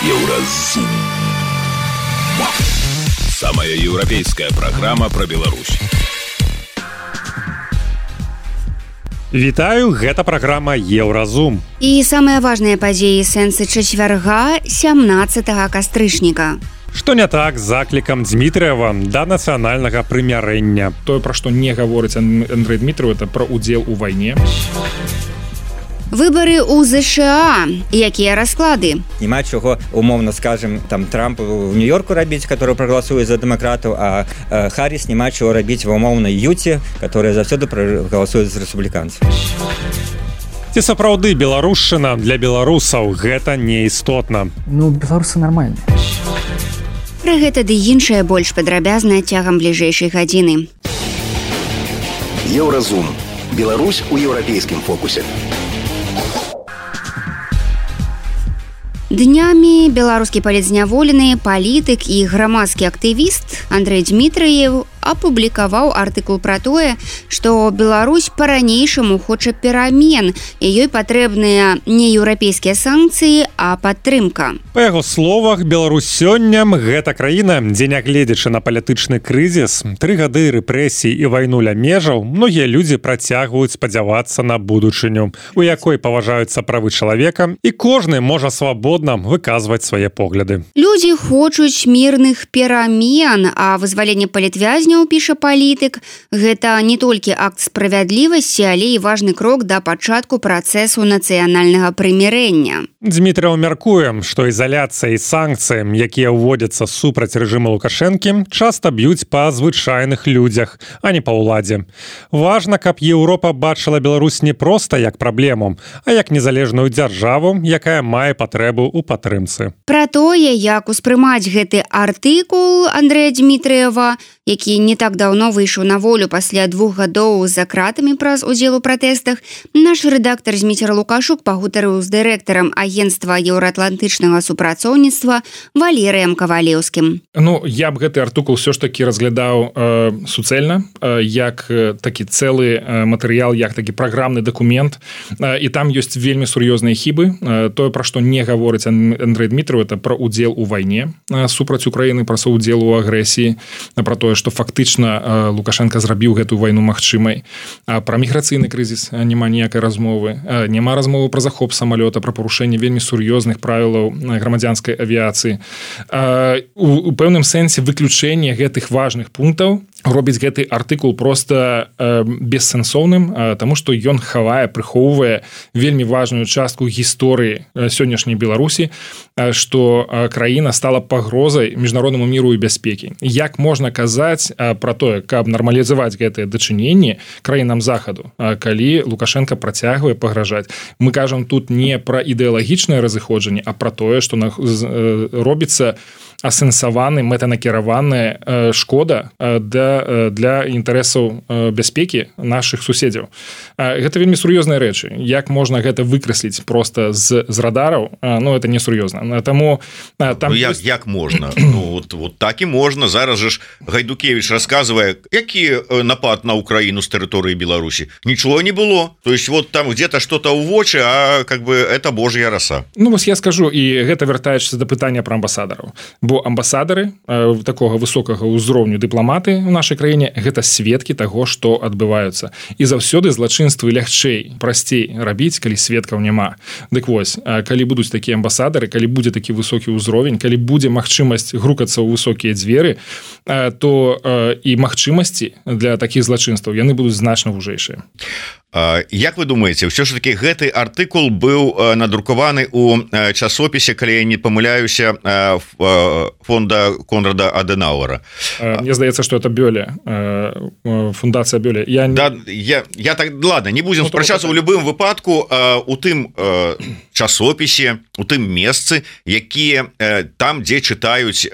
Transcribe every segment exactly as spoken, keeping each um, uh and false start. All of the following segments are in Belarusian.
Еўразум. Самая еўрапейская программа про Беларусь. Вітаю, гэта праграма Еўразум. І самыя важныя падзеі сэнсы чацвярга сямнаццатага кастрычніка. Што не так з заклікам Дзмітрыева да нацыянальнага прымірэння? Тое, пра што не гаворыць Андрэй Дмітрыеў, это пра удзел у вайне. Выбары ў ЗША. Якія расклады? Нема чого, умовно скажем, там Трамп в Нью-Йорку рабіць, который прагаласуе за дэмакратаў, а э, Харріс нема чого рабіць в умоўнай Юце, которая заўсёды прагаласуе за рэспубліканцаў. Ці сапраўды беларушчына для беларусаў гэта неістотна? Ну, беларусы нармальныя. Пра гэта ды іншае больш падрабязна цягам бліжэйшай гадзіны. Еўразум. Беларусь у еўрапейскім фокусе. Днямі беларускі палітзняволены палітык і грамадскі актывіст Андрэй Дмітрыеў апублікаваў артыкул пра тое, што Беларусь па-ранейшаму хоча перамен, і ёй патрэбныя не еўрапейскія санкцыі, а падтрымка. Па яго словах, Беларусь сёння гэта краіна, дзе, нягледзячы на палітычны крызіс, тры гады рэпрэсій і вайну ля межаў, многія людзі працягваюць спадзявацца на будучыню, у якой паважаюцца правы чалавека, і кожны можа свабодна выказваць свае погляды. Людзі хочуць мірных перамен, а вызваленне палітвязняў, піша палітык, гэта не толькі акт справядлівасці, але і важны крок да пачатку працэсу нацыянальнага прымірэння. Дзмітрыеў мяркуе, што ізаляцыя і санкцыі, якія ўводзяцца супраць рэжыма Лукашэнкі, часта б'юць па звычайных людзях, а не па ўладзе. Важна, каб Еўропа бачыла Беларусь не проста як праблему, а як незалежную дзяржаву, якая мае патрэбу ў падтрымцы. Пра тое, як успрымаць гэты артыкул Андрэя Дмітрыева, які не так даўно выйшаў на волю пасля двух гадоў за кратамі праз удзел у пратэстах, наш рэдактар Зміцер Лукашук пагутарыў з дырэктарам агенцтва еўраатлантычнага супрацоўніцтва Валерыем Кавалеўскім. Ну, я б гэты артыкул ўсё ж такі разглядаў э, суцэльна, э, як э, такі цэлы э, матэрыял, як такі праграмны дакумент, э, і там ёсць вельмі сур'ёзныя хібы. Э, тое, пра што не гаворыць Андрэй Дмітрыеў, это пра удзел у вайне э, супраць Украіны, пра удзел у агрэсіі, пра тое, што фактычна Лукашенко зрабіў гэтую вайну магчымай. Пра міграцыйны крызіс няма ніякай размовы. Няма размовы пра захоп самалёта, пра парушэнне вельмі сур'ёзных правілаў грамадзянскай авіяцыі. У пэўным сэнсе выключэнне гэтых важных пунктаў робіць гэты артыкул проста бессэнсоўным, таму што ён хавае, прыхоўвае вельмі важную частку гісторыі сённяшняй Беларусі, што краіна стала пагрозай міжнароднаму міру і бяспекі. Як можна казаць пра тое, каб нармалізаваць гэтыя дачыненні краінам захаду, калі Лукашенко працягвае пагражаць? Мы кажам тут не пра ідэалагічнае разыходжанне, а пра тое, што робіцца асэнсаваны, мэтанакіраваная шкода для, для інтарэсаў бяспекі нашых суседзяў. Гэта вельмі сур'ёзныя рэчы. Як можна гэта выкрэсліць проста з, з радараў? Ну, это не сур'ёзна. Таму там ну, як, як можна? Ну, вот, вот так і можна. Зараз же ж Гайдукевич расказвае, які напад на Украіну з тэрыторыі Беларусі. Нічого не было. То есть вот там где-то что-то ў вочы, а как бы это божья раса. Ну, вось я скажу, і гэта вяртаючыся да пытання пра амбасадараў. Бо амбасадары э, такога высокага ўзроўню дыпламаты ў нашай краіне гэта сведкі таго, што адбываюцца. І заўсёды злачынствы лягчэй, прасцей рабіць, калі сведкаў няма. Дык вось, калі будуць такія амбасадары, калі будзе такі высокі ўзровень, калі будзе магчымасць грукацца ў высокія дзверы, э, то э, і магчымасці для такіх злачынстваў яны будуць значна вужэйшыя. Як вы думаеце, ўсё ж таки гэты артыкул быў надрукаваны ў часопісе, калі я не памыляюся, фонда Конрада Аденауэра? Мне здаецца, што это Бёле, фундацыя Бёле. Я, не... да, я, я так, ладно, не будзем ну, спрачацца ў любым выпадку у тым часопісе, у тым месцы, якія там, дзе чытаюць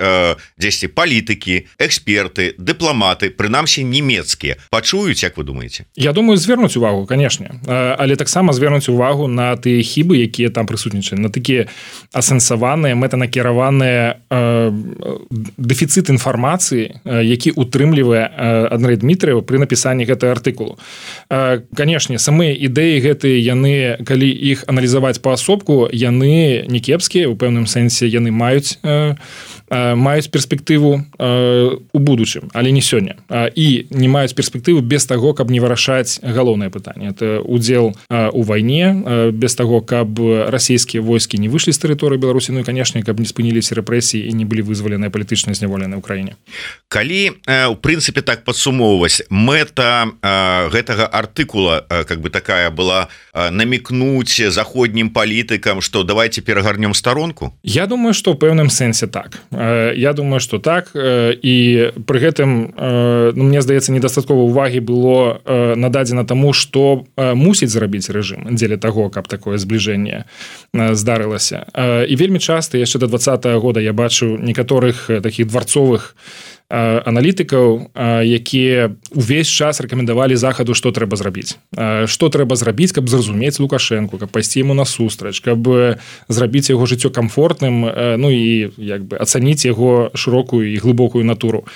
дзесьці палітыкі, эксперты, дыпламаты, прынамсі нямецкія. Пачуюць, як вы думаеце? Я думаю, звернуць увагу. канешне, але таксама звернуць увагу на тыя хібы, якія там прысутнічаюць, на такія асэнсаваныя, мэтанакіраваныя э, дэфіцыт інфармацыі, які утрымлівае Андрэй Дмітрыеў пры напісанні гэтага артыкулу. Э, канешне, самыя ідэі гэтыя, яны, калі іх аналізаваць паасобку, яны не кепскія, у пэўным сэнсе яны маюць э, маюць перспектыву э, у будучым, але не сёння. І не маюць перспектыву без таго, каб не вырашаць галоўнае пытанне. Это удзел э, у вайне, э, без таго, каб расійскія войскі не выйшлі з тэрыторыі Беларусі, ну і, канешне, каб не спыніліся рэпрэсіі і не былі вызваленыя палітычна зняволеныя ў краіне. Калі, э, у прынцыпе, так падсумоўваць, мэта э, гэтага артыкула, э, как бы такая была, э, намекнуць заходнім палітыкам, што давайте перагарнем старонку? Я думаю, што ў пэўным сэнсе так. Я думаю, что так, і пры гэтым, ну, мне здаецца, недастаткова ўвагі было нададзена таму, што мусіць зрабіць рэжым дзеля таго, каб такое збліжэнне здарылася. І вельмі часта яшчэ да двадцатага года я бачу некаторых такіх дварцовых аналітыкаў, якія увесь час рэкамендавалі захаду, што трэба зрабіць. Што трэба зрабіць, каб зразумець Лукашэнку, каб пайсці яму насустрач, каб зрабіць яго жыццё камфортным, ну і як бы ацаніць яго шырокую і глыбокую натуру.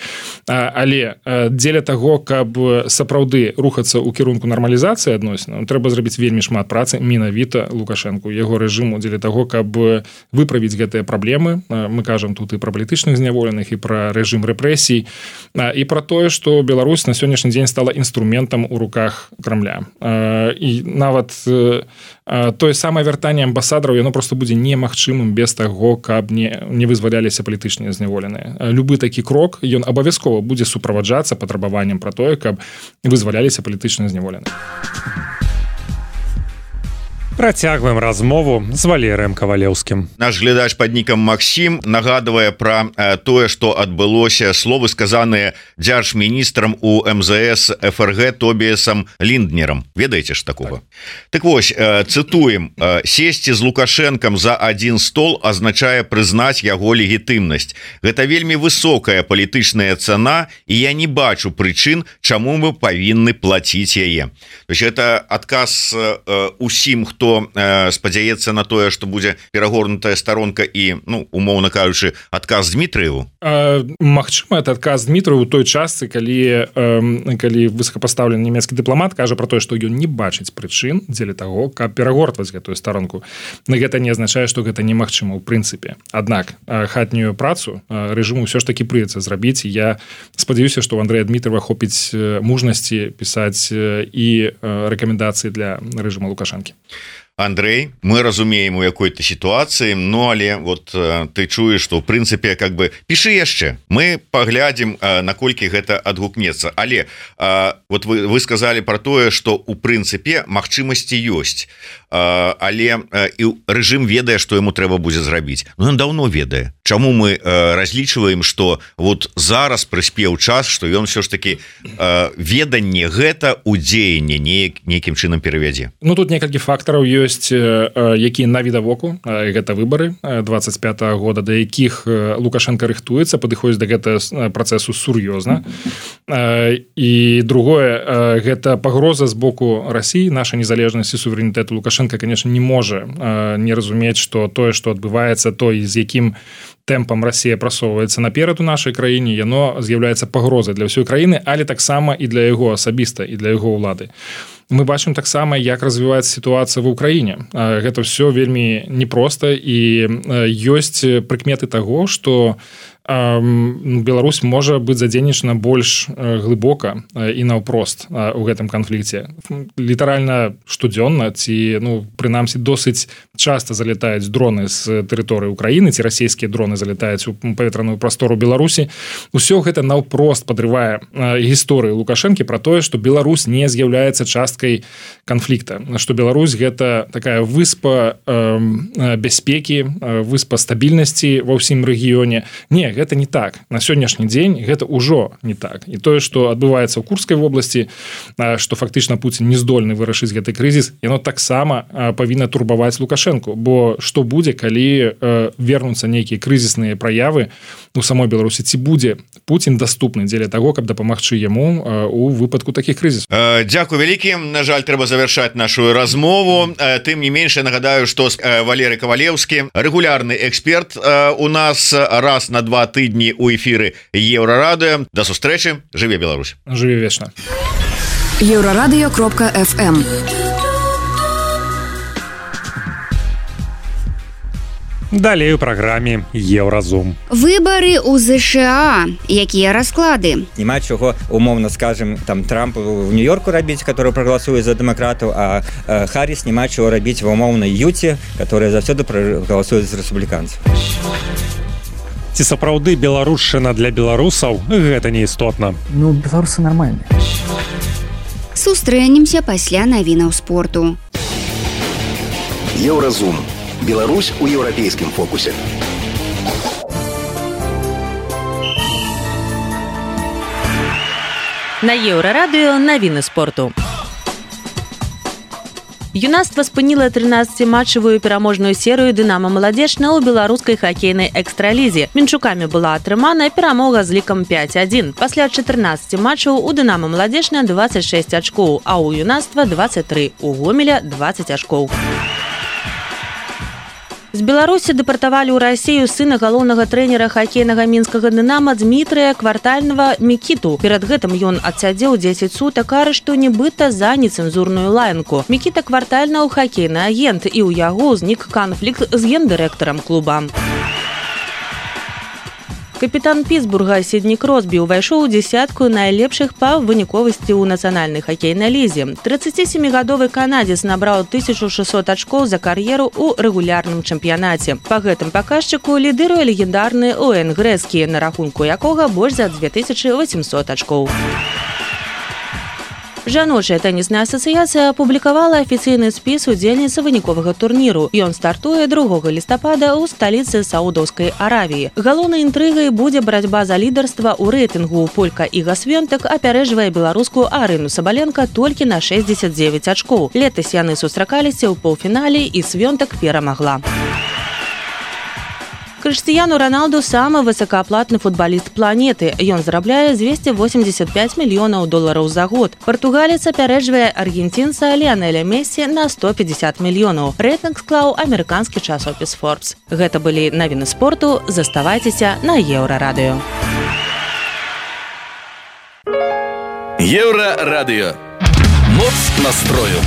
Але дзеля таго, каб сапраўды рухацца ў кірунку нармалізацыі адносінаў, трэба зрабіць вельмі шмат працы менавіта Лукашэнку, яго рэжыму, дзеля таго, каб выправіць гэтыя праблемы. Мы кажам тут і пра палітычных зняволеных, і пра рэжым рэпрэсій, і пра тое, што Беларусь на сённяшні дзень стала інструментам у руках Крамля. І нават тое самае вяртанне амбасадараў, яно проста будзе немагчымым без таго, каб не, не вызваляліся палітычныя зняволеныя. Любы такі крок, ён абавязкова будзе суправаджацца патрабаваннем пра тое, каб вызваляліся палітычныя зняволеныя. Працягваем размову з Валерыем Кавалеўскім. Наш глядач пад нікам Максім нагадвае пра э, тое, што адбылося, словы сказаныя дзяржміністрам у эм зэ эс эф эр гэ Тобіасам Лінднерам. Ведаеце ж такого? Так, так вось, э, цытуем: э, «Сесці з Лукашэнкам за адзін стол азначае прызнаць яго легітымнасць. Гэта вельмі высокая палітычная цана, і я не бачу прычын, чаму мы павінны плаціць яе». То есть это адказ э, усім, хто э, спадзяецца на тое, што будзе перагорнутая старонка і, ну, умоўна кажучы, адказ Дмітрыеву? Магчыма, это адказ Дмітрыеву у той частцы, калі, э, калі высокапастаўлены нямецкі дыпламат кажа пра тое, што ён не бачыць прычын дзеля таго, каб перагортваць гэтую старонку. Но гэта не азначае, што гэта немагчыма ў прынцыпе. Аднак хатнюю працу рэжыму ўсё ж такі прыйдзецца зрабіць. Я спадзяюся, што ў Андрэя Дмітрыева хопіць мужнасці пісаць і рэкамендацыі для рэжыма Лукашэнкі. Андрей, мы разумеем у якой-то сітуацыі, ну але вот э, ты чуеш, што ў прынцыпе как бы пішы яшчэ, мы паглядзім, э, наколькі гэта адгукнецца, але э, вот вы, вы сказалі пра тое, што у прынцыпе магчымасці ёсць, э, але э, і рэжым ведае, што яму трэба будзе зрабіць. Ну ён даўно ведае. Чаму мы э, разлічваем, што вот зараз прыспеў час, што ён все ж таки э, веданне гэта ў дзеянне неяк, нейкім чынам перавядзе? Ну тут некалькі фактараў ёсць, якія навідавоку, гэта выбары двадцать пятого года, да якіх Лукашенко рыхтуецца, падыходзіць да гэтага працэсу сур'ёзна. І другое, гэта пагроза з боку Расіі, наша незалежнасць і суверэнітэт. Лукашенко, конечно, не можа не разумець, што тое, што адбываецца, той, з якім тэмпам Расія прасоўваецца наперад у нашай краіне, яно з'яўляецца пагрозай для ўсёй краіны, але таксама і для яго асабіста, і для яго ўлады. Мы бачым таксама, як развіваецца сітуацыя ва ўкраіне. Гэта ўсё вельмі непроста, і ёсць прыкметы таго, што Беларусь можа быць задзейнічана больш глыбока і наўпрост у гэтым канфлікце. Літаральна штодзённа ці, ну, прынамсі, досыць часта залетаюць дроны з тэрыторыі Украіны, ці расійскія дроны залетаюць у паветраную прастору Беларусі. Усё гэта наўпрост падрывае гісторыю Лукашэнкі пра тое, што Беларусь не з'яўляецца часткай канфлікта, што Беларусь гэта такая выспа бяспекі, выспа стабільнасці ва ўсім рэгіёне. Не, гэта не так. На сённяшні дзень гэта ўжо не так. І тое, што адбываецца ў Курскай вобласці, што фактычна Пуцін не здольны вырашыць гэты крызіс, яно таксама павінна турбаваць Лукашэнку. Бо што будзе, калі вернуцца нейкія крызісныя праявы у самой Беларусі? Ці будзе Пуцін даступны дзеля таго, каб дапамагчы яму у выпадку такіх крызісаў? Дзякуй вялікі. На жаль, трэба завяршаць нашу размову. Тым не менш, я нагадаю, што Валерый Кавалеўскі, рэгулярны эксперт у нас, раз на два тыдні ў эфіры Еўрарадыё. Да сустрэчы. Жыве Беларусь. Жыве вечна. Еўрарадыё кропка эф эм. Далей у праграме Еўразум. Выбары ў ЗША. Якія расклады? Няма чаго, умоўна скажем, там Трамп в Нью-Йорку рабіць, который прагаласуе за дэмакратаў, а э, Харріс няма чаго рабіць ва ўмоўнай Юце, которая заўсёды прагаласуе за рэспубліканцаў. Ці сапраўды беларушчына для беларусаў гэта не істотна? Ну, беларусы нармальныя. Сустрэнемся пасля навінаў спорту. Еўразум. Беларусь у еўрапейскім фокусе. На Еўрарадыё навіны спорту. Юнацтва спыніла трынаццаціматчавую пераможную серыю «Дынамо Маладзечна» ў беларускай хакейнай экстралізе. Мінчукамі была атрымана перамога з лікам пяць адзін. Пасля чатырнаццаці матчаў у «Дынамо Маладзечна» дваццаць шэсць ачкоў, а ў юнацтва дваццаць тры, у Гомеля дваццаць ачкоў. З Беларусі дэпартавалі ў Расію сына галоўнага трэнера хакейнага мінскага «Дынама» Дмітрыя Квартальнага Мікіту. Перад гэтым ён адсядзеў дзесяць сутак арышту нібыта за нецэнзурную лаянку. Мікіта Квартальнаў хакейны агент, і ў яго ўзнік канфлікт з гендырэктарам клуба. Капітан Пітсбурга Сідні Кросбі ўвайшоў у дзесятку найлепшых па выніковасці ў нацыянальнай хакейнай лізе. трыццацісямігадовы канадзец набраў тысячу шэсцьсот ачкоў за кар'еру ў рэгулярным чэмпіянаце. Па гэтым паказчыку лідыруе легендарны Уэйн Грэскі, на рахунку якога больш за дзве тысячы васемсот ачкоў. Жаночая тэнісная асацыяцыя апублікавала афіцыйны спіс удзельніц выніковага турніру. Ён стартуе другога лістапада ў сталіцы Саудаўскай Аравіі. Галоўнай інтрыгай будзе барацьба за лідарства ў рэйтынгу. Полька Іга Свёнтак апярэджвае беларускую Арыну Сабаленка толькі на шэсцьдзесят дзевяць ачкоў. Летась яны сустракаліся ў паўфінале, і Свёнтак перамагла. Крыштыяну Роналду самы высокааплатны футболіст планеты. Ён зарабляе дзвесце восемьдесят пять мільёнаў долараў за год. Партугалец апярэджвае аргенцінца Ліанеля Мессі на сто пятьдесят мільёнаў. Рэйтынг склаў амерыканскі часопіс Forbes. Гэта былі навіны спорту. Заставайцеся на Еўрарадыё. Еўрарадыё. Моц настрою.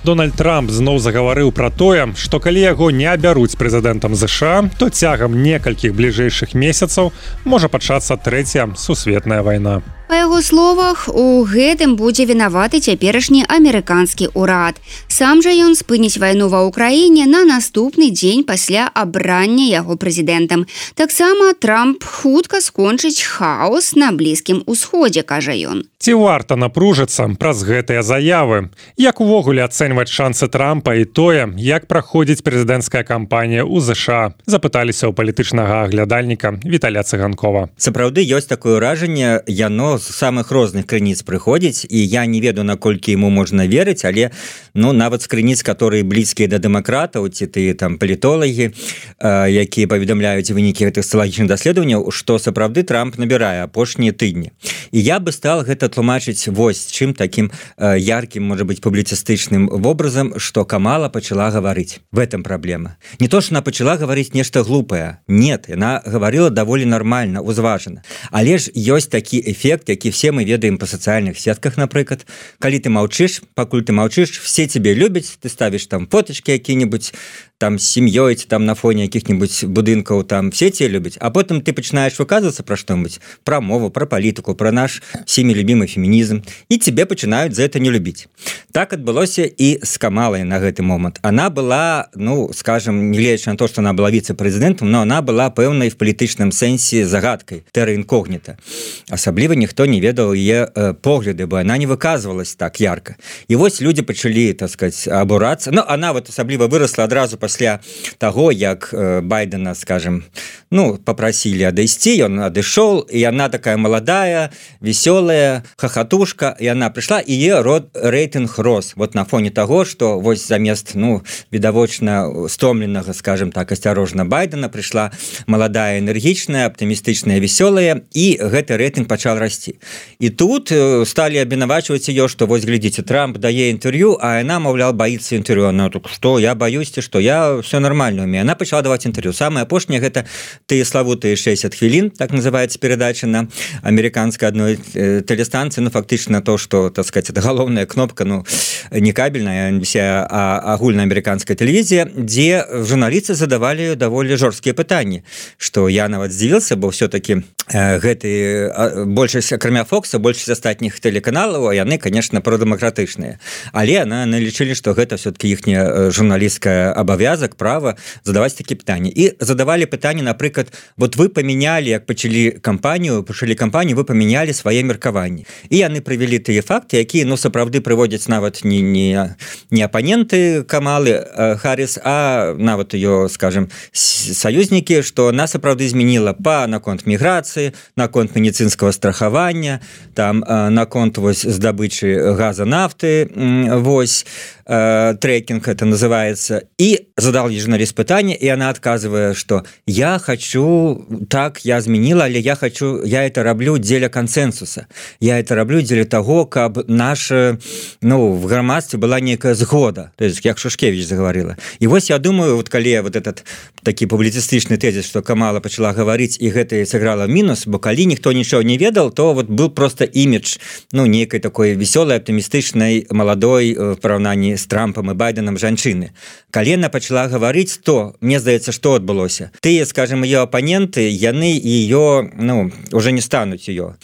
Дональд Трамп зноў загаварыў пра тое, што калі яго не абяруць прэзідэнтам ЗША, то цягам некалькіх бліжэйшых месяцаў можа пачацца трэцяя сусветная вайна. Па яго словах, у гэтым будзе вінаваты цяперашні амерыканскі ўрад. Сам жа ён спыніць вайну ва ўкраіне на наступны дзень пасля абрання яго прэзідэнтам. Таксама Трамп хутка скончыць хаос на Блізкім усходзе, кажа ён. Ці варта напружыцца праз гэтыя заявы? Як увогуле ацэньваць шансы Трампа і тое, як праходзіць прэзідэнцкая кампанія ў ЗША? Запыталіся ў палітычнага аглядальніка Віталя Цыганкова. Сапраўды ёсць такое ўражанне, яно з самых розных крыніц прыходзіць, і я не ведаю, наколькі яму можна верыць, але ну нават з крыніц, которые блізкія да дэмакратаў, ці ты там палітолагі, э, якія паведамляюць вынікі гэтых сацыялагічных даследаванняў, што сапраўды Трамп набірае апошнія тыдні. І я бы стал гэта тлумачыць вось чым такім э, яркім, можа быць, публіцыстычным вобразам, што Камала пачала гаварыць. В этом праблема. Не то, што она пачала гаварыць нешта глупае. Нет, яна гаварыла даволі нармальна, узважана. Але ж ёсць такі эфект, які все мы ведаем па сацыяльных сетках, напрыклад. Калі ты маўчыш, пакуль ты маўчыш, все тебе любяць, ты ставіш там фотачкі які-небудзь, там з сям'ёй, там на фоне якіх-небудзь будынкаў, там все те любяць, а потым ты пачынаеш выказвацца пра што-небудзь, пра мову, пра палітыку, пра наш всеми любимый фемінізм, і тебе пачынаюць за это не любіць. Так адбылося і з Камалай на гэты момант. Она была, ну, скажем, не гледзячы на то, што она была віцэ-прэзідэнтам, но она была пэўнай в палітычным сэнсе загадкай, тэра інкогніта. Асабліва ніхто ніхто не ведаў яе погляды, бо она не выказвалась так ярко. І вось люди пачалі, так сказать, абурацца. Ну, она вот асабліва выросла адразу пасля таго, як Байдена, скажем, ну, попросили адысці, ён адышоў, і она такая маладая, весёлая, хахатушка, і она прыйшла, і яе рэйтынг рос. Вот на фоне таго, што вось замест, ну, відавочна стомленага, скажем так, асцярожна Байдена прыйшла маладая, энергічная, аптымістычная, весёлая, і гэты рэйтынг пачал расці. І тут сталі абвінавачваць ее, што вось глядзіце, Трамп дае інтэрв'ю, а яна, маўляў, баіцца інтэрв'ю. Она так, што я баюсь, што я все нормально умею. Она пачала даваць інтэрв'ю. Самае апошняе гэта тыя славутыя шэсцьдзесят хвілін, так называецца перадача на амерыканскай адной тэлестанцыі, ну фактычна то, што, так сказать, это галоўная кнопка, ну не кабельная, а агульнаамерыканская тэлевізія, дзе журналісты задавалі даволі жорсткія пытанні, што я нават здзівіўся, бо все-таки гэты большасць, акрамя Фокса, большасць астатніх тэлеканалаў, яны, конечно, продэмакратычныя, але она налічылі, што гэта все-таки іхняя журналісцкая абавязак, права задаваць такія пытанні. І задавалі пытанні, напрыклад, вот вы памянялі, як пачалі кампанію, пачалі кампанію, вы памянялі свае меркаванні. І яны прывялі тыя факты, якія, ну, сапраўды прыводзяць нават не, не, не апаненты Камалы Харріс, а нават ее, скажем, саюзнікі, што она сапраўды змяніла па наконт міграцыі, наконт медицинского страхавання, там наконт вось здабычы газа, нафты, вось трекинг это называется. И задал ей журналист пытание, и она отказывая, что я хочу, так, я изменила, але я хочу, я это роблю дзеля консенсуса. Я это роблю дзеля того, каб наша, ну, в громадстве была некая згода. То есть, как Шушкевич заговорила. И вот я думаю, вот коли вот этот такі публіцыстычны тезіс, што Камала пачала гаварыць, і гэта сыграла мінус, бо калі ніхто нічого не ведал, то вот был просто імідж, ну, некай такой весёлай, аптымістычнай, маладой в параўнанні з Трампом і Байденом жанчыны. Калі яна пачала гаварыць, то, мне здаецца, што адбылося? Тыя, скажем, ее оппоненты, яны ее, ну, уже не стануць ее.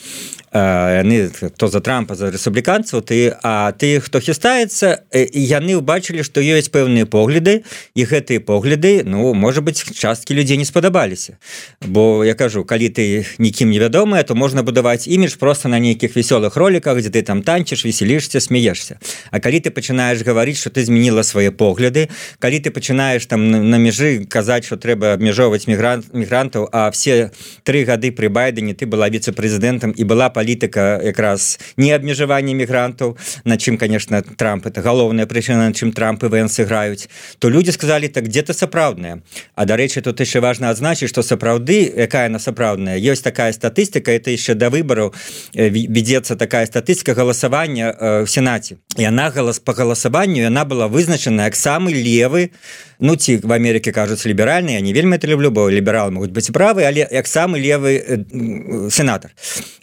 Яны, хто за Трампа, за рэспубліканцаў, ты, а ты, хто хістаецца, яны ўбачылі, што ёсць пэўныя погляды, і гэтыя погляды, ну, можа быць, часткі людзей не спадабаліся. Бо, я кажу, калі ты нікім не вядомая, то можна будаваць імідж проста на нейкіх весёлых роліках, дзе ты там танчыш, веселішся, смеешся. А калі ты пачынаеш гаварыць, што ты змяніла свае погляды, калі ты пачынаеш там на межы казаць, што трэба абмяжоўваць мігрантаў, а все тры гады пры Байдене ты была віцэ-прэзідэнтам і была палітыка якраз не абмежавання мігрантаў, на чым, конечно, Трамп, это галоўная прычына, на чым Трамп і Вэнс играюць, то людзі сказалі, так где-то сапраўдная. А, дарэчы, тут яшчэ важна адзначыць, што сапраўды, якая она сапраўдная, ёсць такая статыстыка, это яшчэ да выбараў ведецца такая статыстыка галасавання в Сенаце. І она голос по галасаванню, яна была вызначана як самы левы, ну, ці в Амерыке кажуць ліберальны, я не вельмі это люблю, бо лібералы могуць быць правы, але як самы левы э, сенатор.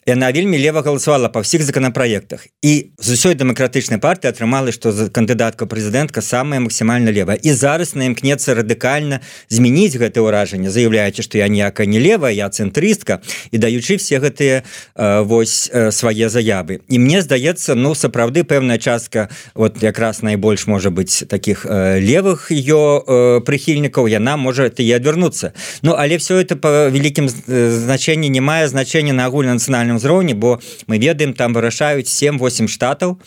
Яна вельмі лева галасавала па ўсіх законапраектах. І з усёй дэмакратычнай партыі атрымала, што кандыдатка прэзідэнтка самая максімальна левая. І зараз на імкнецца радыкальна змяніць гэтае ўражанне, заяўляючы, што я ніякая не левая, я цэнтрыстка, і даючы все гэтыя э, вось э, свае заявы. І мне здаецца, ну, сапраўды пэўная частка, вот якраз найбольш можа быць такіх э, левых ее э, прыхільнікаў, яна можа і адвярнуцца. Ну, але все это по вялікім значэнні не мае значэння на агульнанацыянальным узроўні, бо мы ведаем, там вырашаюць сем-восем штатаў,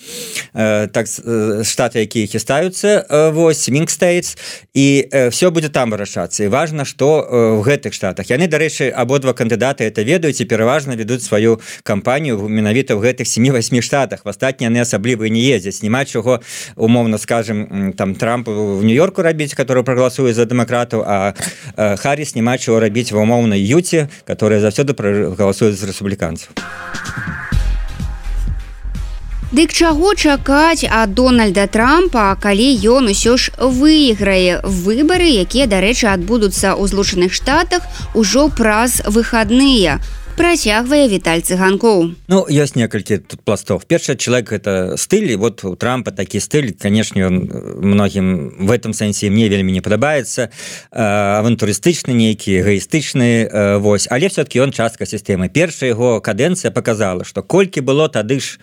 э, так, э, штаты, якія хістаюцца, э, вось, Swing States, і э, все будзе там вырашацца. І важна, што э, в гэтых штатах. Яны, дарэчы, абодва кандыдаты это ведаюць і пераважна ведуць сваю кампанію менавіта ў гэтых сем-восем штатах. В астатнія яны асабліва не ездзяць. Няма чаго, умоўна скажем, там Трамп в Нью-Йорку рабіць, который прагаласуе за дэмакратаў, а э, Харріс няма чаго рабіць ва умоўнай Юце, которая заўсёды прагаласуе за рэспубліканцаў. Дык чаго чакаць ад Дональда Трампа, калі ён усё ж выйграе выбары, якія, дарэчы, адбудуцца ў Злучаных Штатах ужо праз выхадныя? Працягвае Віталь Цыганкоў. Ну, ёсць некалькі тут пластов. Першы чалавек это стыль, і вот у Трампа такі стыль, канешне, ён многім в этом сэнсе мне вельмі не падабаецца, авантурыстычны нейкі, эгоістычны, вось, але все-таки ён частка сістэмы. Першая яго кадэнцыя показала, што колькі было тады ж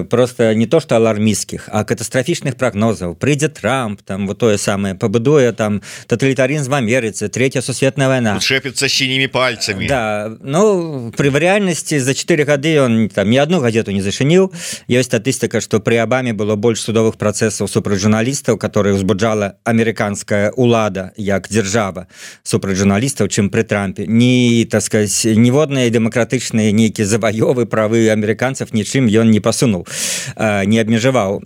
просто не то што алармісцкіх, а катастрафічных прагнозаў. Прыйдзе Трамп, там вот тое самае, пабудуе там тоталітарызм в Амерыцы, третья сусветная вайна. Шэпіцца сінімі пальцамі. Да, ну Ну при рэальнасці за чатыры гады он там ні одну газету не зачыніў. Ёсць статыстыка, што пры Абаме было больш судовых працэсаў супраць журналістаў, которые узбуджала амерыканская улада як дзяржава супраць журналістаў, чым пры Трампе. Ні, так сказать, ніводныя дэмакратычныя нейкія заваёвы правы амерыканцаў нічым ён не пасунуў, не абмежаваў.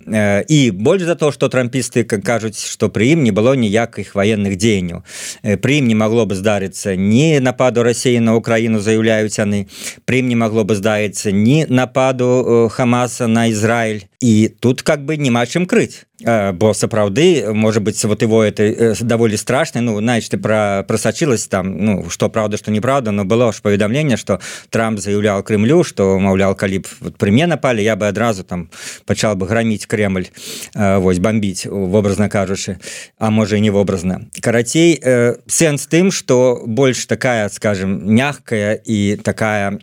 І больш за то, што трампісты кажуць, што пры ім не было ніякіх ваенных дзеянняў. Пры ім не магло бы здарыцца ні нападу Расіі на Украіну, заяўляюць яны. Пры ім не магло бы здарыцца ні нападу Хамаса на Ізраіль. І тут как бы няма чым крыць. Бо сапраўды, можа быць, вот его это даволі страшна. Ну, знаешь, ты про просачилась там, ну, што правда, што неправда, но было ж паведамленне, што Трамп заяўляў Крымлю, што, маўляў, калі б вот, пры мне напалі, я бы адразу там пачал бы граміць Кремль, вось, бомбіць, вобразна кажучы, а можа і не вобразна. Карацей, сэнс тым, што больш такая, скажем, мягкая і такая...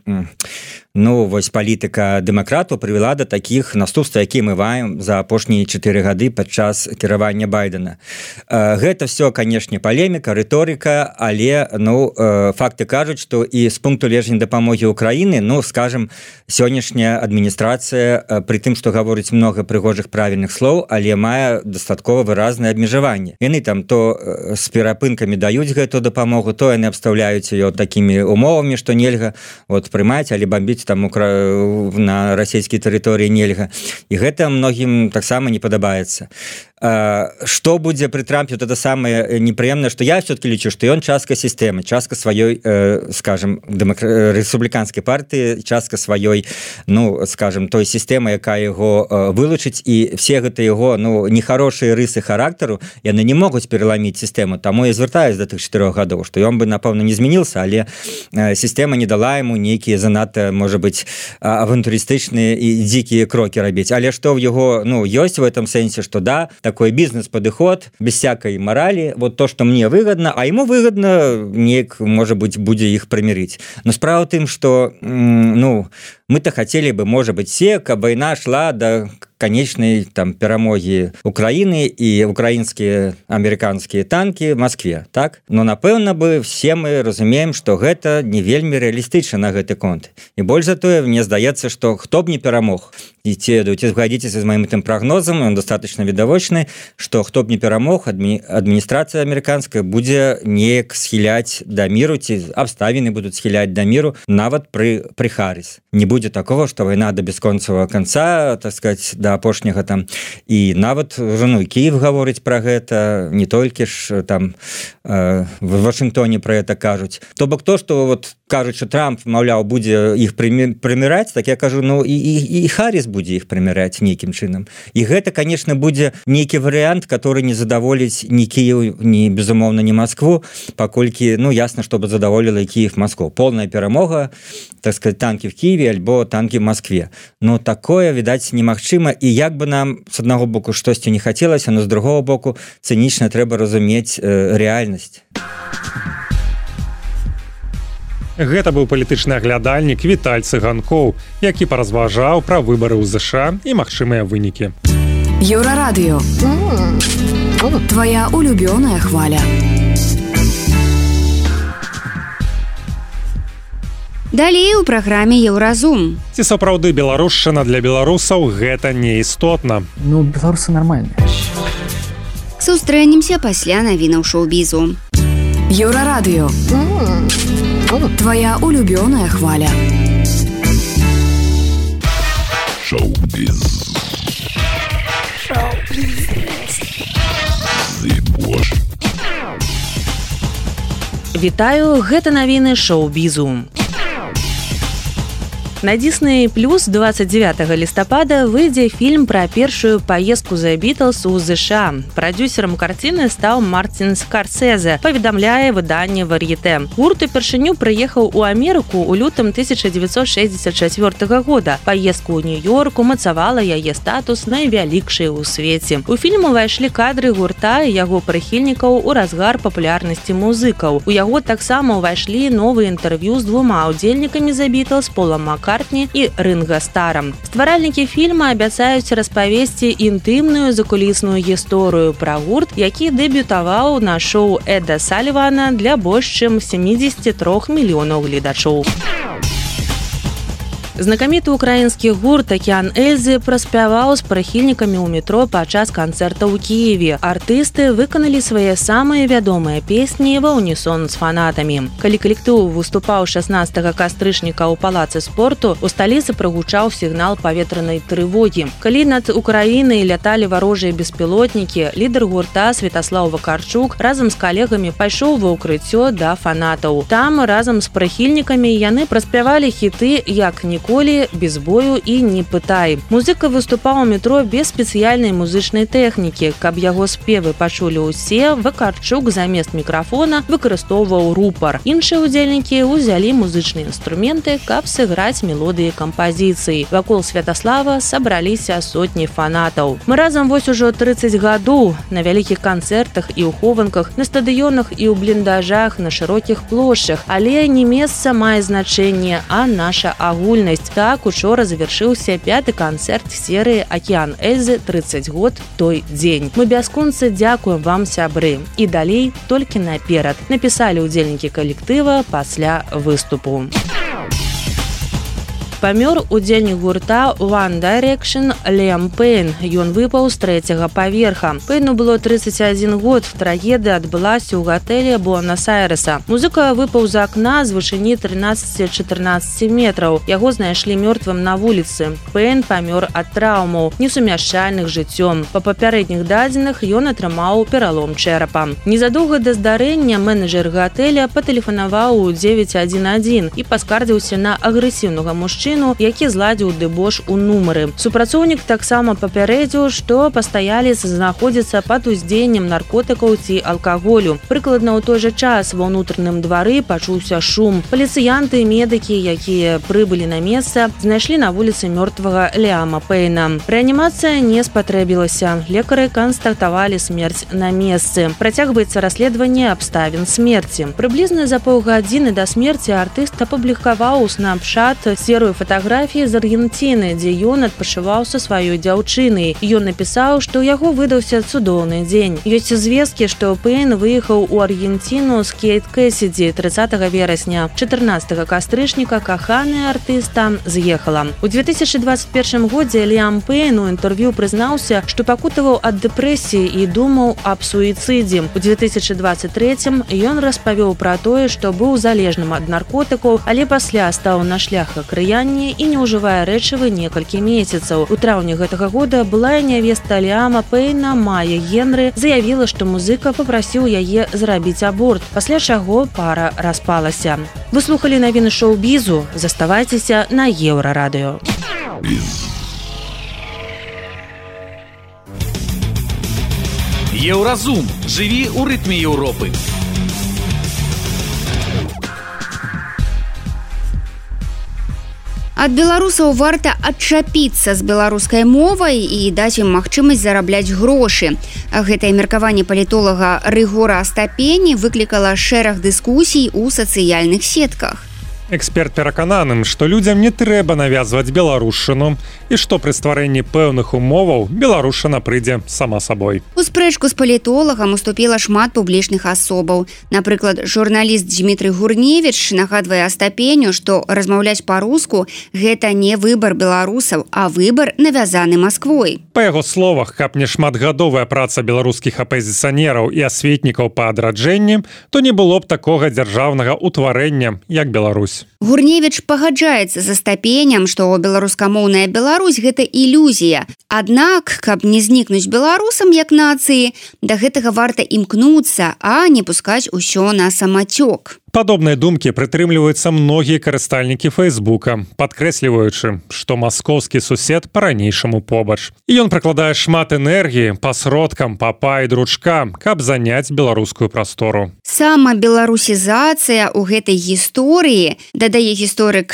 Ну, вось палітыка дэмакратаў прывяла да такіх наступстваў, якія мы маем за апошнія чатыры гады падчас кіравання Байдена. Гэта все, канешне, палеміка, рыторыка, але ну, факты кажуць, што і з пункту гледжання дапамогі Украіны, ну, скажем, сённяшняя адміністрацыя, пры тым, што гаворыць многа прыгожых правільных слоў, але мае дастаткова выразнае абмежаванне. Яны там то з перапынкамі даюць гэту дапамогу, то яны абстаўляюць ее такімі умовамі, што нельга вот, прымаць, але бомбіць там на расійскай тэрыторыі нельга. І гэта многім таксама не падабаецца. Што будзе пры Трампе, вот это самае непрыемнае, што я все-таки лічу, што ён частка сістэмы, частка сваёй, э, скажем, дэмакр... рэспубліканскай партыі, частка сваёй, ну, скажем, той сістэмы, якая яго э, вылучыць, і все гэта яго, ну, нехарошыя рысы характару, яны не могуць пераламіць сістэму. Таму я звяртаюсь да тых чатырох гадоў, што ён бы, напэўна, не змяніўся, але э, сістэма не дала яму нейкія занадта, можа быць, авантурыстычныя і дзікія крокі рабіць. Але што ў яго, ну, ёсць в этом сэнсе, што да, такой бизнес-подыход, без всякой морали, вот то, что мне выгодно, а ему выгодно, неяк, может быть, будзе их примирить. Но справа в тым, что, ну, мы-то хотели бы, может быть, все, каб война шла до конечной там перамоги Украины и украинские американские танки в Москве, так? Но, напэўна бы, все мы разумеем, что гэта не вельмі реалистычна на гэты конт. И больш за тое, мне здаецца, что хто б не перамог, и те, ці згадзіцеся з маім тым прогнозам, он достаточно відавочны, что хто б не перамог, адмі... адміністрацыя американская будзе неяк схіляць да міру, ці абставіны будуць схіляць да міру, нават пры, пры Харрис. Не будзе такого, что война до бесконцевого конца, так сказать, до апошняга там. И нават ну, Киев гаворыць про гэта, не толькі ж там э, в Вашингтоне про это кажуць. То бок то, что вот кажуць, что Трамп, маўляў, будзе іх прыміраць, так я кажу, ну и, и, и Харрис будзе іх прыміраць нейкім чынам. И гэта, конечно, будзе нейкі вариант, который не задаволіць ни Киев, ни, безумоўна, ни Москву, паколькі, ну, ясно, чтобы задаволила и Киев, Москву. Полная перамога, так сказать, танки в Киеве, альбо танки в Москве. Но такое, відаць, немагчыма. І як бы нам, з аднаго боку, штосьці не хацелася, но з другого боку, цынічна трэба разумець э, рэальнасць. Гэта быў палітычны аглядальнік Віталь Цыганкоў, які паразважаў пра выбары ў ЗША і магчымыя вынікі. Еўрарадыё. Твоя улюбёная хваля. Далей у праграме Еўразум. Ці сапраўды беларушчына для беларусаў гэта не істотна? Ну, беларусы нармальныя. Сустрэнемся пасля навінаў шоу-бізу. Еўрарадыё. Твоя улюбёная хваля. Шоу-біз. Шоу-біз. Вітаю, гэта навіны шоу-бізу. На Disney Plus двадцать девятого листопада выйдзе фільм пра першую паездку The Beatles у ЗША. Прадюсерам карціны стаў Мартин Скорсезе, паведамляе выданне Вар'етэ. Гурт упершыню прыехаў у Амерыку ў лютым тысяча дзевяцьсот шэсцьдзесят чацвёртага года. Паездка ў Нью-Йорк умацавала яе статус найвялікшай у свеце. У фільм увайшлі кадры гурта і яго прыхільнікаў у разгар папулярнасці музыкаў. У яго таксама ўвайшлі новыя інтэрв'ю з двума ўдзельнікамі The Beatles, Полам Маккартні Маккартні і Ринга Стара. Стваральнікі фільма абяцаюць распавесці інтымную закулісную гісторыю пра гурт, які дэбютаваў на шоу Эда Салівана для больш чым сямдзесят три мільёнаў гледачоў. Знакаміты ўкраінскі гурт «Акіян Эльзы» праспяваў з прыхільнікамі ў метро падчас канцэрта ў Кіеве. Артысты выканалі свае самыя вядомыя песні ва ўнісон з фанатамі. Калі калектыў выступаў шаснаццатага кастрычніка ў палацы спорту, у сталіцы прагучаў сігнал паветранай трывогі. Калі над Украінай ляталі варожыя беспілотнікі, лідар гурта Святаслаў Вакарчук разам з калегамі пайшоў ва ўкрыццё да фанатаў. Там разам з прыхільнікамі яны праспявалі хіты «Як ніколі», без бою і не пытай. Музыка выступаў у метро без спецыяльнай музычнай тэхнікі. Каб яго спевы пачулі ўсе, Вакарчук замест мікрафона выкарыстоўваў рупар. Іншыя ўдзельнікі ўзялі музычныя інструменты, каб сыграць мелодыі кампазіцыі. Вакол Святаслава сабраліся сотні фанатаў. Мы разам вось ужо трыццаць гадоў на вялікіх канцэртах і ў хованках, на стадыёнах і ў бліндажах, на шырокіх плошчах. Але не месца мае значэнне, а наша агульнасць. Так, учора завяршыўся пяты канцэрт серыі «Акіян Эльзы. трыццаць год той дзень». Мы бясконца дзякуем вам, сябры. І далей толькі наперад, напісалі ўдзельнікі калектыва пасля выступу. Памёр удзельнік гурта One Direction Лем Пэйн. Ён выпаў з трэцяга паверха. Пэйну было трыццаць адзін год. Трагедыя адбылася ў гатэлі Буэнас-Айрэса. Музыка выпаў з акна з вышыні трынаццаць-чатырнаццаць метраў. Яго знайшлі мёртвым на вуліцы. Пэйн памёр ад траўмаў, несумяшчальных з жыццём. Па папярэдніх дадзеных ён атрымаў пералом чэрапа. Незадоўга да здарэння менеджер гатэля патэлефанаваў у дзевяць адзін адзін і паскардзіўся на агрэсіўнага мужчыну, які зладзіў дэбош у нумары. Супрацоўнік таксама папярэдзіў, што пастаялец знаходзіцца пад уздзеяннем наркотыкаў ці алкаголю. Прыкладна ў той жа час ва ўнутраным двары пачуўся шум. Паліцыянты і медыкі, якія прыбылі на месца, знайшлі на вуліцы мёртвага Ліама Пэйна. Рэанімацыя не спатрэбілася. Лекары канстатавалі смерць на месцы. Працягваецца расследаванне абставін смерці. Прыблізна за паўгадзіны да смерці артыст апублікаваў у Snapchat серыю фатаграфій з Аргенціны, дзе ён адпачываў са сваёй дзяўчынай. Ён напісаў, што ў яго выдаўся цудоўны дзень. Ёсць звесткі, што Пэйн выехаў у Аргенціну з Кейт Кэссіді трыццатага верасня. чатырнаццатага кастрычніка каханая артыста з'ехала. У две тысячи двадцать першым годзе Ліам Пэйн у інтэрв'ю прызнаўся, што пакутаваў ад дэпрэсіі і думаў аб суіцыдзе. У две тысячи двадцать третьем ён распавёў пра тое, што быў залежным ад наркотыкаў, але пасля стаў на шлях акрыяння і не ўжывае рэчывы некалькі месяцаў. У траўні гэтага года былая нявеста Ліама Пэйна Майя Генры заявіла, што музыка папрасіў яе зрабіць аборт, пасля чаго пара распалася. Вы слухалі навіны шоу-бізу, заставайцеся на Еўрарадыё. Еўразум. Жыві ў рытме Еўропы. Ад беларусаў варта адчапіцца з беларускай мовай і даць ім магчымасць зарабляць грошы. Гэтае меркаванне палітолага Рыгора Астапені выклікала шэраг дыскусій у сацыяльных сетках. Эксперт перакананым, што людзям не трэба навязваць беларушчыну і што пры стварэнні пэўных умоваў беларушчына прыйдзе сама сабой. У спрэчку з палітолагам уступіла шмат публічных асобаў. Напрыклад, журналіст Дмітрый Гурневіч нагадвае Астапеню, што размаўляць па-руску гэта не выбар беларусаў, а выбар навязаны Масквой. Па яго словах, каб не шматгадовая праца беларускіх апазіцыянераў і асветнікаў па адраджэнні, то не было б такога дзяржаўнага ўтварэння, як Беларусь. Гурневіч пагаджаецца з Астапенем, што беларускамоўная Беларусь – гэта ілюзія. Аднак, каб не знікнуць беларусам як нацыі, да гэтага варта імкнуцца, а не пускаць усё на самацёк. Падобныя думкі прытрымліваюцца многія карыстальнікі Фэйсбука, падкрэсліваючы, што маскоўскі сусед па-ранейшаму побач. І ён прыкладае шмат энергіі па сродкам папа і дручка, каб заняць беларускую прастору. Сама беларусізацыя ў гэтай гісторыі, дадае гісторык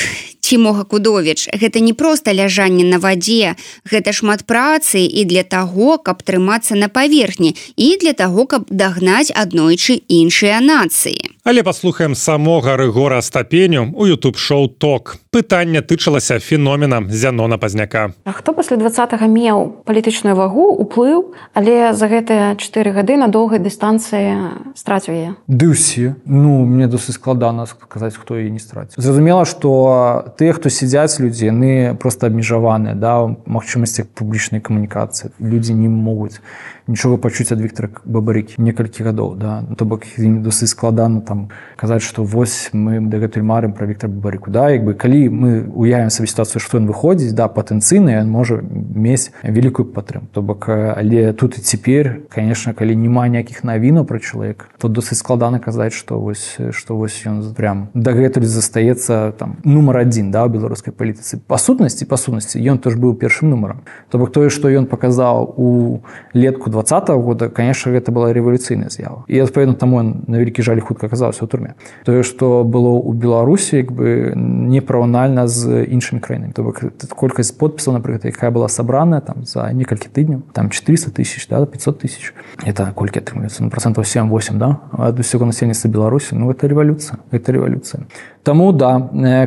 Хімога Кудовіч, гэта не проста ляжанне на вадзе, гэта шмат працы і для таго, каб трымацца на паверхні, і для таго, каб дагнаць аднойчы іншыя нацыі. Але паслухаем самога Рыгора Астапеню у ютуб-шоу «Ток». Пытанне тычылася феномена Зянона Пазняка. А хто пасля двадцатага меў палітычную вагу, уплыў, але за гэтыя чатыры гады на доўгай дыстанцыі страціў яе? Ды ўсе. Ну, мне досыць складана сказаць, хто яе не страціў. Зразумела, што тыя, хто сядзяць людзі, яны проста абмежаваныя, да, ў магчымасцях публічнай камунікацыі. Людзі не могуць нічога пачуць ад Віктара Бабарыкі некалькі гадоў, да. То бок ім досыць складана там казаць, што вось мы дагэтуль марым пра Віктара Бабарыку, да, як бы калі мы уявім сабе сітуацыю, што ён выходзіць, да, патэнцыйна ён можа мець вялікую падтрымку. То бок, але тут і цяпер, конечно, калі няма ніякіх навінаў пра чалавека, то досыць складана казаць, што вось што вось ён прям дагэтуль застаецца там нумар адзін, да, у беларускай палітыцы. Па сутнасці, па сутнасці ён тоже быў першым нумарам. То бок тое, што ён паказаў у летку двадцатого года, конечно, гэта была рэвалюцыйная з'ява. І адпаведна таму ён на вялікі жаль хутка аказаўся ў турме. Тое, што было ў Беларусі, як бы непараўнальна з іншымі краінамі. То бок колькасць подпісаў, напрыклад, якая была сабраная там за некалькі тыдняў, там четыреста тысяч, да, пятьсот тысяч. Это колькі атрымліваецца? Ну, процентов семь-восемь, да, ад усяго насельніцтва Беларусі. Ну, гэта рэвалюцыя. Гэта рэвалюцыя. Таму, да,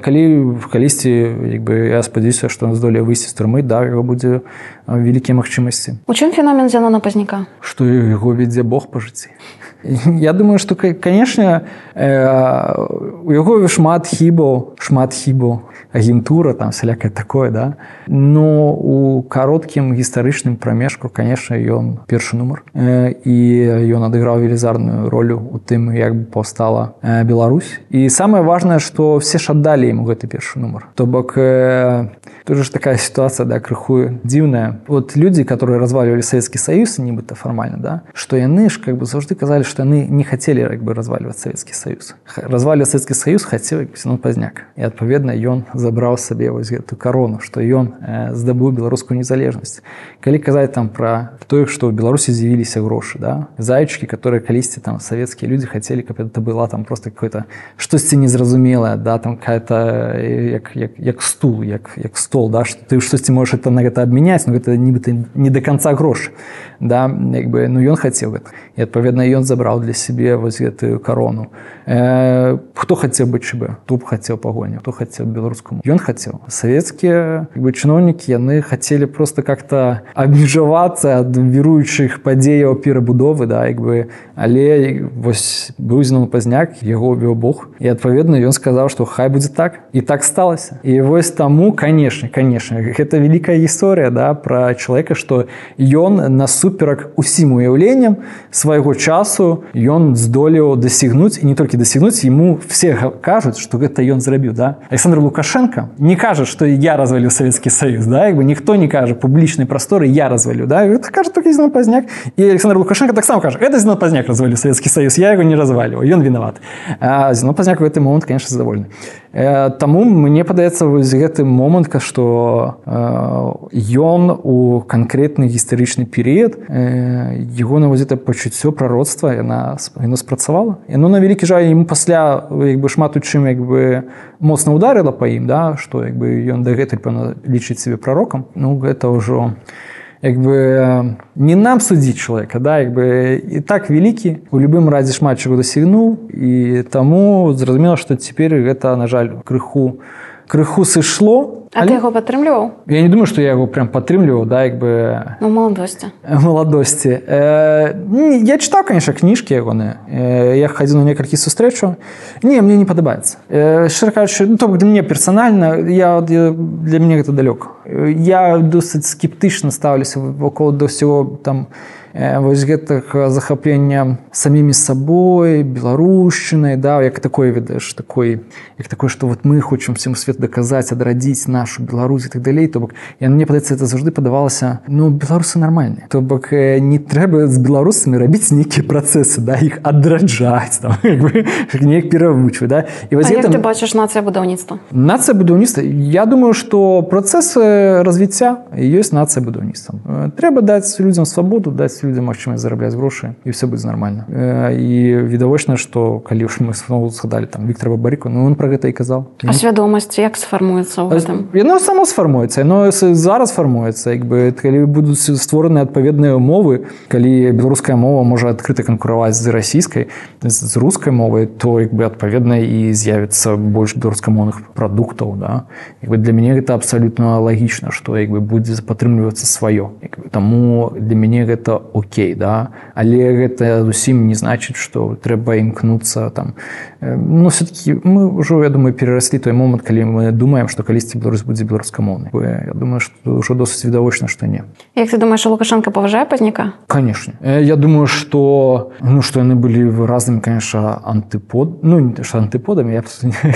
калі калісьці, як бы, я спадзяюся, што ён здолее выйсці з турмы, да, яго будзе вялікія магчымасці. У чым феномен Зянона Пазняка? Што яго вядзе Бог па жыцці. Я думаю, што, канешне, у яго шмат хібаў, шмат хібаў, агентура, там, всялякае такое, да. Но у кароткім гістарычным прамежку, канешне, ён першы нумар. І ён адыграў велізарную ролю у тым, як бы паўстала Беларусь. І самае важнае, што все ж аддалі яму гэты першы нумар. То бок, тут же такая ситуация, да, крыху дзіўная. Вот люди, которые разваливали Советский Союз, нібыта формально, да, что яны ж как бы заўжды казалі, что яны не хотели как бы разваливать Советский Союз. Разваливать Советский Союз хотел Зянон Пазняк. І адпаведна ён забраў сабе вось гэту корону, што ён э, здабыў беларускую незалежнасць. Калі казаць там пра тое, што ў Беларусі з'явіліся грошы, да, зайчыкі, которые калісьці там савецкія людзі хацелі, каб это была там просто какое-то штосьці незразумелае, да, там какая-то як, як, як стул, як, як стол, да, што ты штосьці можаш это на гэта абмяняць, но гэта нібыта не до конца грошы, да, як бы, ну ён хацеў гэта. І адпаведна ён забраў для сябе вось гэтую корону. Э, хто хацеў быць ЧБ? Хто б хацеў пагоні? Хто хацеў беларускаму? Ён хацеў. Савецкія, як бы, чыноўнікі, яны хацелі просто как-то абмежавацца ад віруючых падзеяў перабудовы, да, як бы, але вось быў Зянон Пазняк, яго вёў Бог, і адпаведна ён сказаў, што хай будзе так, і так сталася. І вось таму, канешне, канешне, гэта вялікая гісторыя, да, пра чалавека, што ён насуперак усім уяўленням свайго часу ён здолеў дасягнуць, і не толькі дасягнуць, яму все кажуць, што гэта ён зрабіў, да. Александр Лукашенко не кажа, што я разваліў Савецкі Саюз, да, як бы ніхто не кажа публічнай прасторы я разваліў, да, гэта кажа толькі Зянон Пазняк. І Александр Лукашенко таксама кажа, гэта Зянон Пазняк разваліў Савецкі Саюз, я яго не разваліў, ён вінават. А Зянон Пазняк в гэты момант, конечно, задаволены. Таму мне падаецца вось гэты момант, што ён у канкрэтны гістарычны перыяд яго на вось гэта пачуццё прароцтва яна яно спрацавала. Яно на вялікі жаль яму пасля як бы шмат у чым як бы моцна ударыла па ім, да, што як бы ён дагэтуль пэўна лічыць сябе прарокам. Ну гэта ўжо як бы не нам судзіць чалавека, да, як бы і так вялікі, у любым разе шмат чаго дасягнуў, і таму зразумела, што цяпер гэта, на жаль, крыху крыху сышло. А але... ты яго падтрымліваў? Я не думаю, што я яго прям падтрымліваў, да, як бы... Ну, маладосці. Маладосці. Э, я чытаў, конечно, кніжкі ягоныя. Э, я хадзіў на некалькі сустрэчаў. Не, мне не падабаецца. Э, шчыра кажучы, ну, то для мне персанальна, я, я, для мяне гэта далёка. Я досыць скептычна стаўлюся вакол да ўсяго там вось гэтых захаплення самімі сабой, беларушчынай, да, як такое, ведаеш, такой, як такое, што вот мы хочам всему свету даказаць, адрадзіць нашу Беларусь і так далей. То бок, я, мне падаецца, это заўжды падавалася, ну, беларусы нармальныя. То бок, не трэба з беларусамі рабіць нейкія працэсы, да, іх адраджаць, там, як бы, неяк перавучваць, да. І вось а гэта... як ты бачыш нацыя будаўніцтва? Нацыя будаўніцтва? Я думаю, што працэс развіцця ёсць нацыя будаўніцтва. Трэба даць людзям свабоду, даць людзям магчымасць зарабляць грошы і все будзе нормально. І відавочна, што калі ўж мы зноў згадалі там Віктора Бабарыку, ну он про гэта і казаў. А свядомасць як сфармуецца ў гэтым? Яно само сфармуецца, яно зараз фармуецца, як бы калі будуць створаны адпаведныя умовы, калі беларуская мова можа адкрыта канкураваць з расійскай, з рускай мовай, то як бы адпаведна і з'явіцца больш беларускамоўных прадуктаў, да. Як бы для мяне гэта абсалютна лагічна, што як бы будзе падтрымлівацца сваё. Як бы, таму для мяне гэта окей, да. Але гэта зусім не значыць, што трэба імкнуцца там. Ну, все-таки мы ўжо, я думаю, перараслі той момант, калі мы думаем, што калісьці Беларусь будзе беларускамоўнай. Я думаю, што ўжо досыць відавочна, што не. Як ты думаеш, Лукашенко паважае Пазняка? Конечно. Я думаю, што ну, што яны былі разнымі, конечно, антыпод... ну, не што антыподамі, я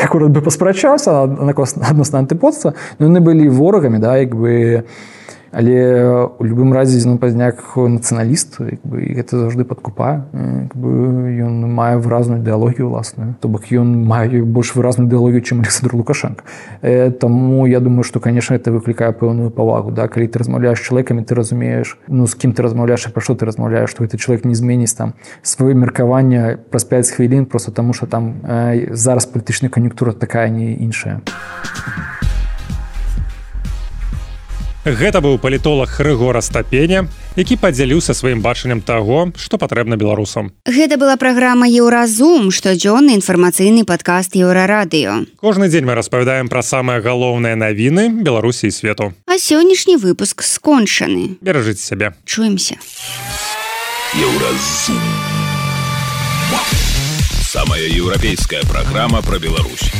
акурат бы паспрачаўся адносна антыподства, но яны былі ворагамі, да, як бы... Але у любым разе ну, Пазняк нацыяналіст, як бы, і гэта заўжды падкупае. Як бы, ён мае выразную ідэалогію ўласную. То бок ён мае больш выразную ідэалогію, чым Александр Лукашенко. Э, таму я думаю, што, конечно, гэта выклікае пэўную павагу. Да? Калі ты размаўляеш з чалавекамі, ты разумееш, ну, з кім ты размаўляеш і пра што ты размаўляеш, што гэты чалавек не зменіць там сваё меркаванне праз пяць хвілін, проста таму, што там э, зараз палітычная кан'юнктура такая, не іншая. Гэта быў палітолог Рыгор Астапеня, які падзяліўся сваім бачаннем таго, што патрэбна беларусам. Гэта была праграма «Еўразум», штодзённы інфармацыйны падкаст «Еўрарадыё». Кожны дзень мы распавядаем пра самыя галоўныя навіны Беларусі і свету. А сённяшні выпуск скончаны. Беражыце сябе. Чуемся. «Еўразум». Самая еўрапейская праграма пра Беларусь.